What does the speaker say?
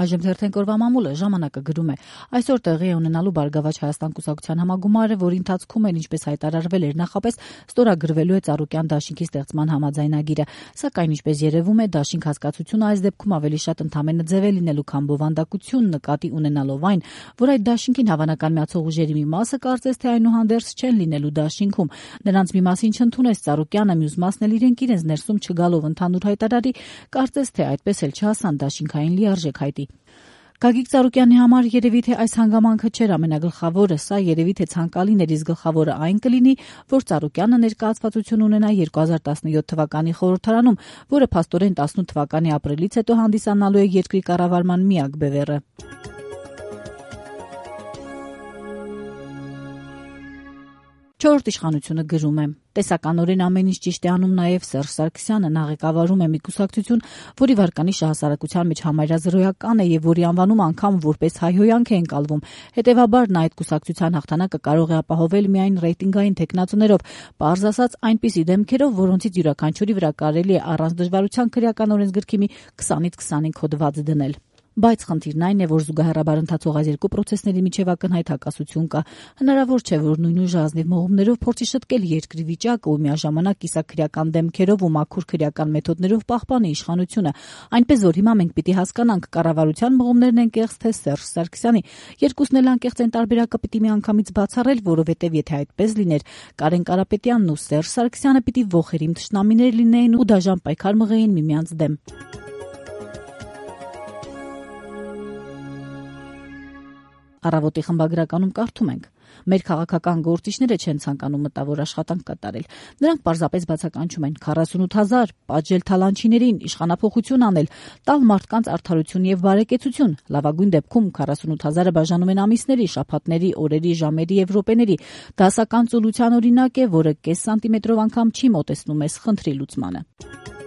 Այժմ թերթենք օրվա մամուլը ժամանակը գրում է. այսօր տեղի է ունենալու Բարգավաճ Հայաստան կուսակցության համագումարը, որի ընթացքում էլ ինչպես հայտարարվել էր նախապես, ստորագրվելու է Ծառուկյան դաշինքի ստեղծման համաձայնագիրը, սակայն ինչպես երևում է, դաշինք հասկացությունը այս դեպքում ավելի շատ ընդամենը ձև է լինելու, քան բովանդակություն, նկատի ունենալով այն, որ այդ դաշինքին հավանական միացող ուժերի մի մասը կարծես թե այնուհանդերձ չեն լինելու դաշինքում, նրանց մի մասին չընդունեց Ծառուկյանը, մյուս մասն էլ իրենց ներսում չգալով ընդհանուր հայտարարի, կարծես թե այդպես էլ չհասան դաշինքային լիարժեք հայտի։ Գագիկ Ծառուկյանի համար երևի թե այս հանգամանքը չէր ամենագլխավորը, սա երևի թե ցանկալին էր, իսկ գլխավորը այն կլինի, որ Ծառուկյանը ներկայացվածություն ունենա 2017 թվականի խորհրդարանում, որը փաստորեն 18 թվականի ապրիլից հետո հանդիսանալու է երկրի կառավարման միակ բևեռը։ Չորրորդ իշխանությունը գրում է. տեսականորեն ամեն ինչ ճիշտ է անում նաև Սերժ Սարգսյանը, նա ղեկավարում է մի կուսակցություն, որի վարկանիշը հասարակության մեջ համարյա զրոյական է եւ որի անվանումը անգամ որպես հայհոյանք է ընկալվում։ Հետևաբար նա այդ կուսակցության հաղթանակը կարող է ապահովել միայն ռեյտինգային թեկնածուներով, պարզ ասած այնպիսի դեմքերով, որոնցից յուրաքանչյուրի վրա կարելի է առանց դժվարության քրեական օրենսգրքի մի 20-ից 25 հոդված դնել։ Բայց խնդիրն այն է, որ զուգահեռաբար ընթացող այս երկու պրոցեսների միջև ակնհայտ հակասություն կա։ Հնարավոր չէ, որ նույն ուժը ազնիվ մողումներով փորձի շտկել երկրի վիճակը ու միաժամանակ կիսաքրեական դեմքերով ու մաքուր քրեական մեթոդներով պահպանի իշխանությունը, այնպես որ հիմա մենք պիտի հասկանանք կառավարության մողումներն են կեղծ թե Սերժ Սարգսյանի։ Երկուսն էլ անկեղծ են, տարբերակը պիտի միանգամից բացառել, որովհետև եթե այդպես լիներ, Կարեն Կարապետյանն ու Սերժ Սարգսյանը պիտի ողերիմ թշնամիներ լինեին ու դաժան պայքար մղեին միմյանց դեմ։ Առավոտի խմբագրականում կարդում ենք. մեր քաղաքական գործիչները չեն ցանկանում մտավոր աշխատանք կատարել։ Նրանք պարզապես բացականչում են 48,000 պատժել թալանչիներին, իշխանափոխություն անել, տալ մարդկանց արդարություն եւ բարեկեցություն։ Լավագույն դեպքում 48,000-ը բաժանում են ամիսների, շաբաթների, օրերի, ժամերի եւ րոպեների։ Դասական ծուլության օրինակ է, որը կես սանտիմետրով անգամ չի մոտեցնում այս խնդրի լուծմանը։